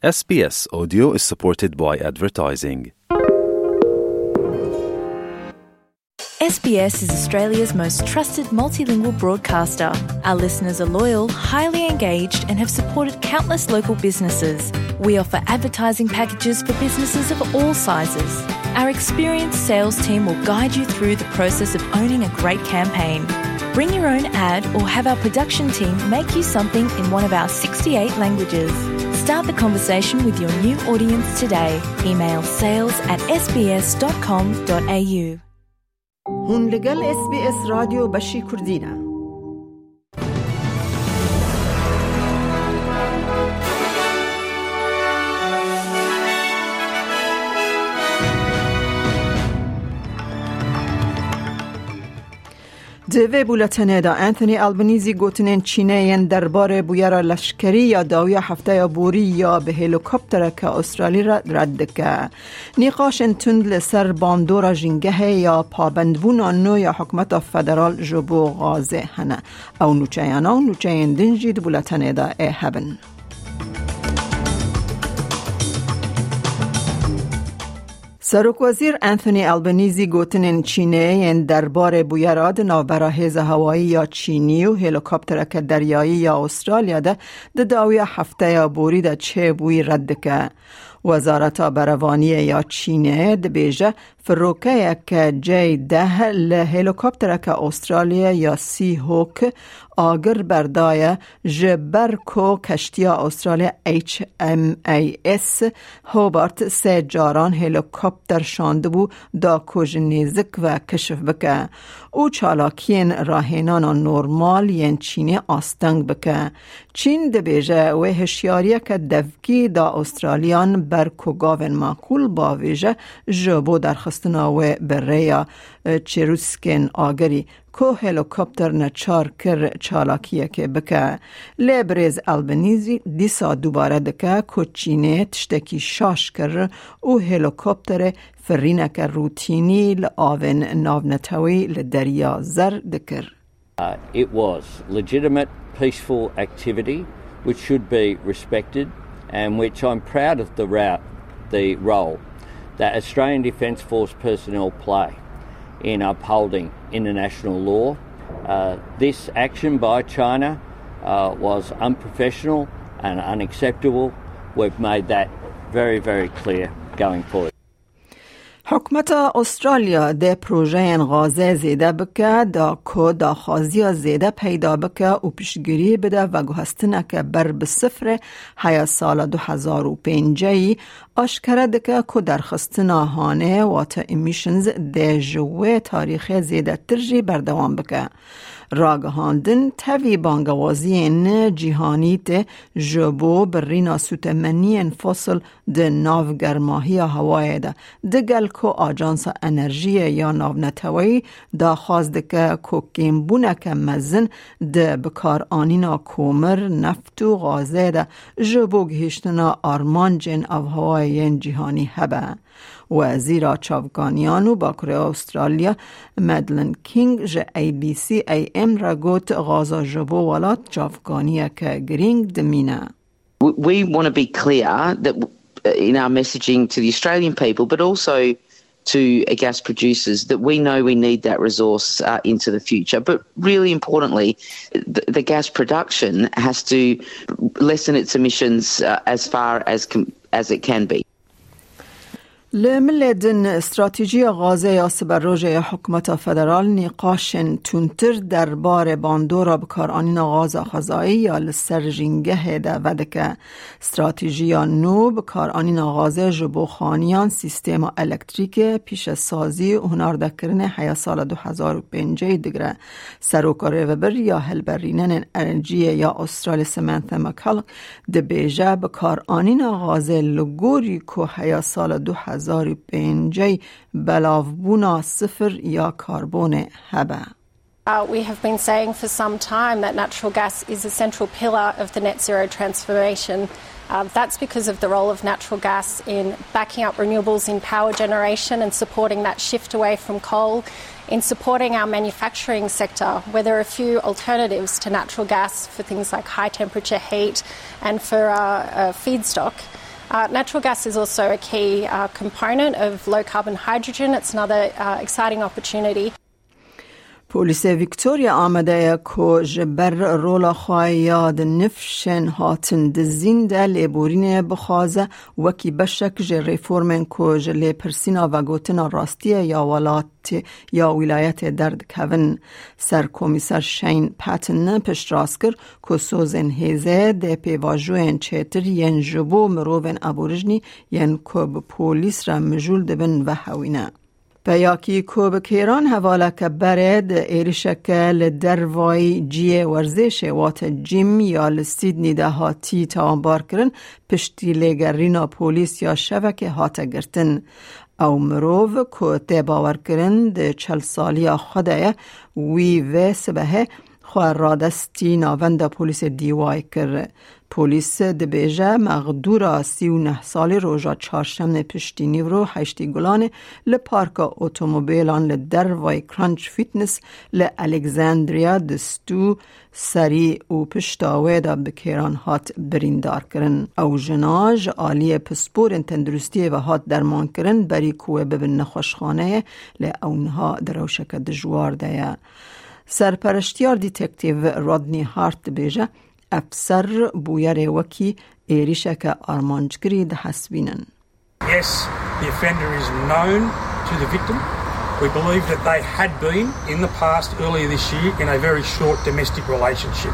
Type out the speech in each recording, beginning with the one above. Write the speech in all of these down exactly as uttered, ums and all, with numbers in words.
S B S Audio is supported by advertising. S B S is Australia's most trusted multilingual broadcaster. Our listeners are loyal, highly engaged, and have supported countless local businesses. We offer advertising packages for businesses of all sizes. Our experienced sales team will guide you through the process of owning a great campaign. Bring your own ad or have our production team make you something in one of our sixty-eight languages. Start the conversation with your new audience today. Email sales at S B S dot com dot A U. Hûn li gel S B S Radyo Beşî Kurdî ne. Di vê bûletenê de Anthony Albanese gotinên Çînê yên derbarê bûyera leşkerî ya dawiya hefteya borî ya bi helîkoptereke Australî re red dike. Nîqaşên tund li ser bandora jîngehê ya pabendbûna nû ya hikûmeta federal ji bo Gazê hene. Ew nûçeyana û nûçeyên din jî di bûletenê de ê hebin. Serokwezîr Anthony Albanese gotinên Çînê yên derbarê bûyera di navbera hêza hewayî ya Çînî û helîkoptereke deryayî ya Australya de di dawiya hefteya borî de çêbûyî red dike. Wezareta Berevaniyê ya Çînê dibêje, firokeyeke C deh li helîkoptereke Australya ya Seahawk agir berdaye, ji ber ku keştiya Australya H M A S Hobart sê caran helîkopter şandibû, da ku ji nêzik ve keşif bike û çalakiyên rahênana normal yên Çînê asteng bike. Çîn dibêje wê hişyariyeke devkî da Australiyan ber ku gavên makul bavêje ji bo derxistina wê bi rêya, e, çirûskên agirî ku helîkopter neçar kir çalakiyekê bike. Lê birêz Albanese dîsa dubare dike ku Çînê tiştekî şaş kir û helîkopterê firîneke rûtînî li avên navneteweyî li Derya Zer dikir. Uh, it was legitimate, peaceful activity which should be respected and which I'm proud of the route, the role that Australian Defence Force personnel play in upholding international law. Uh, this action by China, uh, was unprofessional and unacceptable. We've made that very, very clear going forward. Hikûmeta Australya dê projeyên Gazê zêde bike, da ku daxwaziya zêde peyda bike û piştgirî bide veguhestineke ber bi sifrê heya sala du hezar û pêncî aşkere dike ku derxistina hanê, wate emissions, dê ji wê tarîxê zêdetir jî berdewam bike. Ragihandin tevî bangewaziyên cîhanî tê ji bo birîna sûtemeniyên fosil di nav germahiya hewayê de, digel ku Ajansa Enerjiyê ya Navneteweyî daxwaz dike ku kêmbûneke mezin di bikaranîna komir, neft û gazê de ji bo gihîştina armancên avhewayê yên cîhanî hebe. Wezîra Çavkaniyan û Bakurê Australya Madeleine King ji A B C A M re got, Gaza ji bo welat çavkaniyeke girîng dimîne. We, we want to be clear that, uh, in our messaging to the Australian people, but also to, uh, gas producers, that we know we need that resource, uh, into the future. But really importantly, the, the gas production has to lessen its emissions, uh, as far as com-, as it can be. Li milê din, stratejiya Gazê ya siberojê ya hikûmeta federal nîqaşên tundtir derbarê bandora bikaranîna gaza xwezayî ya li ser jîngehê de vedike. Stratejiya nû bikaranîna gazê ji bo xaniyan, sîstema elektrîkê, pîşesazî û hunardekirinê heya sala du hezar û pêncî digire. Seroka Rêvebir ya Hilberînenên Enerjiyê ya Australya Samantha McCullough dibêje, bikaranîna gazê li gorî ku heya sala du hezar û pêncî belavbûna sifir ya karbonê hebe. Uh, we have been saying for some time that natural gas is a central pillar of the net zero transformation. Uh, that's because of the role of natural gas in backing up renewables in power generation and supporting that shift away from coal, in supporting our manufacturing sector, where there are a few alternatives to natural gas for things like high temperature heat and for, uh, uh, feedstock. Uh, natural gas is also a key uh, component of low carbon hydrogen. It's another uh, exciting opportunity. Polîsê Victoria amade ye ku ji ber rola xwe ya di nifşên hatin dizîn de lêborînê bixwaze, wekî beşek ji reformên ku ji lêpirsîna vegotina rastiye ya welatê ya wîlayetê derdikevin. Serkomîser Shane Patton piştrast kir ku sozên hêzê dê pêvajoyên çêtir yên ji bo mirovên aborîjnî yên ku bi polîs re mijûl dibin vehewîne. Peyakî ku bi kêran hevaleke berê di êrişeke li dervayî cihê werzêşê wate gym ya li Sydney de hatî tawanbarkirin, piştî lêgerîna polîs ya şevekê hate girtin. Ew mirov ku tê bawerkirin di çel saliya xwe de ye, wî vê sibehê xwe radestî navenda polîsê D Y kir. Polîs dibêje, mexdûra sî û neh salî roja çarşemê piştî nîvro heştî Gulanê li parka otomobîlan li dervayî Crunch Fitness li Alexandria di stû serî û pişta wê de bi kêran hat birîndarkirin. Ew jina ji aliyê pisporên tenduristiyê ve hat dermankirin, berî ku wê bibin nexweşxaneyê, lê ew niha di rewşeke dijwar de ye. Serpereştiyar Detective Rodney Hart dibêje, ev ser bûyerê wekî êrîşeke armanckirî dihesibînin. Yes, the offender is known to the victim. We believe that they had been in the past, earlier this year, in a very short domestic relationship.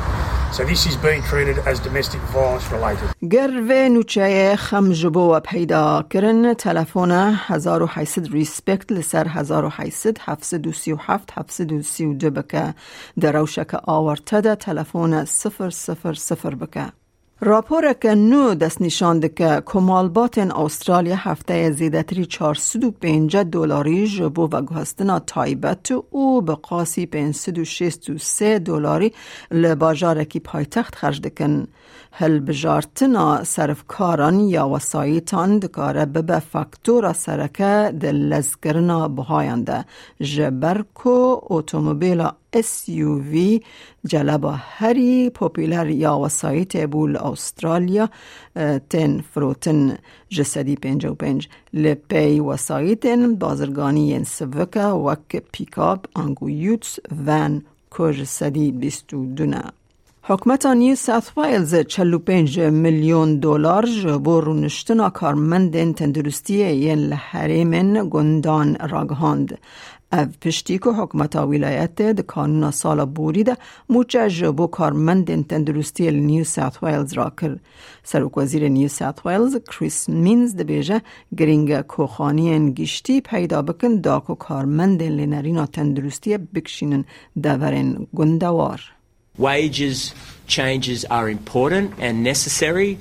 So this is being treated as domestic violence related. Ger vê nûçeyê xem ji bo we peyda kirin, telefona hezar û heyt sed Respect li ser hezar û heyt sed heft sed û sî û heft heft sed û sî û du bike. Di rewşeke awarte de telefona sifir sifir sifir bike. Raporeke nû destnîşan dike ku malbatên Astralya hefteyê zêdetirî çar sed û pêncî dolarî ji bo veguhestina taybet û bi qasî pênc sed û şêst û sê dolarî li bajarekî paytext xerc dikin. Hilbijartina serifkaran ya wesayîtan dikare bibe faktora sereke di lezkirina bihayan de, ji ber ku otomobîla S U V, celeba herî popûler ya wesayîtê bû li Astralya, e, tên firotin ji sedî pêncî û pênc. Li pey wesayîtên bazirganî yên sivike wek pîkap, ango utes, van ku ji sedî bîst û du ne. Hikûmeta New South Wales çel û pênc milyon dolar ji bo rûniştina karmendên tenduristiyê yên li herêmên gundan ragihand. Ev piştî ku hikûmeta wîlayetê di kanûna sala borî de mûçe ji bo karmendên tenduristiyê li New South Wales rakir. Serokwezîrê New South Wales Chris Minns dibêje, girîng e ku xaniyên giştî peyda bikin da ku karmendên lênerîna tenduristiyê bikişînin deverên gundewar. Wages changes are important and necessary,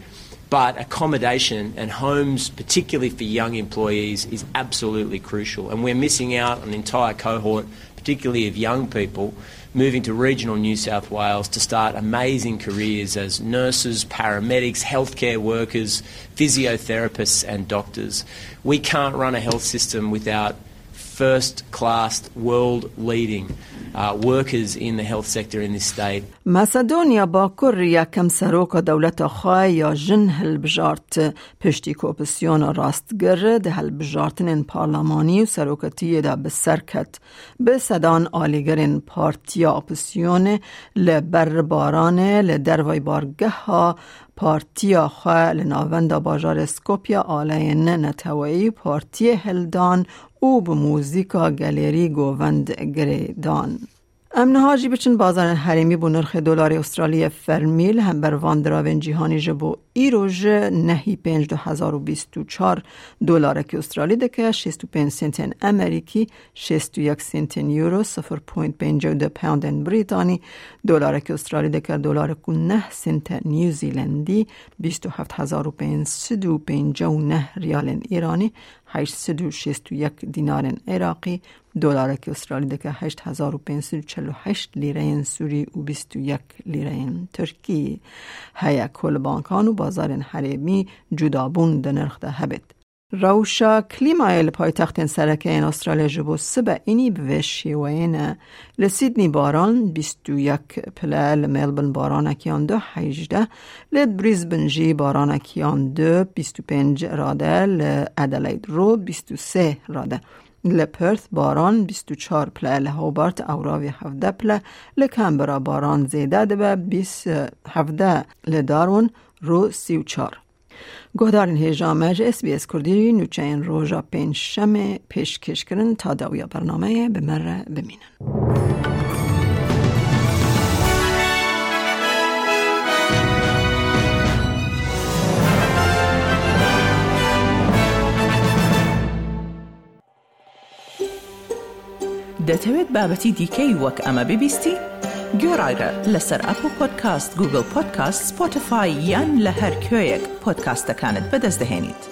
but accommodation and homes, particularly for young employees, is absolutely crucial. And we're missing out on an entire cohort, particularly of young people, moving to regional New South Wales to start amazing careers as nurses, paramedics, healthcare workers, physiotherapists, and doctors. We can't run a health system without first class, world leading, uh, workers in the health sector in this state. Masedonya Bakur yekem seroka dewleta xwe ya jin hilbijart, piştî ku opozîsyona rastgir di hilbijartinên parlamanî û serokatiyê de bi ser ket. Bi sedan alîgirên partiya opozîsyonê li ber baranê li dervayî bargeha partiya xwe li navenda bajarê Skopje aleyên neteweyî û partiyê hildan û bi muzîka gelêrî govend girêdan. Em niha jî biçin bazarên herêmî bo nirxê dolarê Australiyê fermî li hember van diravên cîhanî ji bo îro ji nehî pênc du hezar û bîst û çar dolarekî Australî dike şêst û pênc sentên Amerîkî, şêst û yek sentên Euro, sifir point pêncî û du poundên Brîtanî, dolarekî Australî dike dolarek û neh sente New Zealandî, bîst û heft hezar û pênc sed û pêncî û neh riyalên Îranî, heşt sed û şêst û yek dînarên Iraqî, dolarekî Australî dike heşt hezar û pênc sed û çel û heşt lîreyên Sûrî û bîst û yek lîreyên Tirkî. Heye ku li bankan û bazarên herêmî cudabûn di nirx de hebêt. Rewşa klîmayê li paytextên sereke yên Astralya ji bo sibe înî bi vê şêweyê ne. Li Sydney baran bîst û yek pile, li Melbourne baranekiyan du hejdeh, li Brisbane jî baranekiyan du bîst û pênc rade, li Adelaide rû bîst û sê rade. Li Perth baran bîst û çar pile, li Hobart ewravî hevdeh pile, li Canberra baran zêde dibe bîst hevdeh, li Darwin rû sî û çar. Guhdarên hêja me ji S B S Kurdî nûçeyên roja pêncşemê pêşkêş kirin. Ta dawiya bernameyê bi me re bimînin. دەتەوێت بابەتی دیکەی وەک ئەمە ببیستی؟ گوێڕایرە لەسەر ئەپڵ پۆدکاست، گوگڵ پۆدکاست، سپۆتیفای یان لە هەر کوێیەک پۆدکاستەکانت بەدەست دەهێنیت.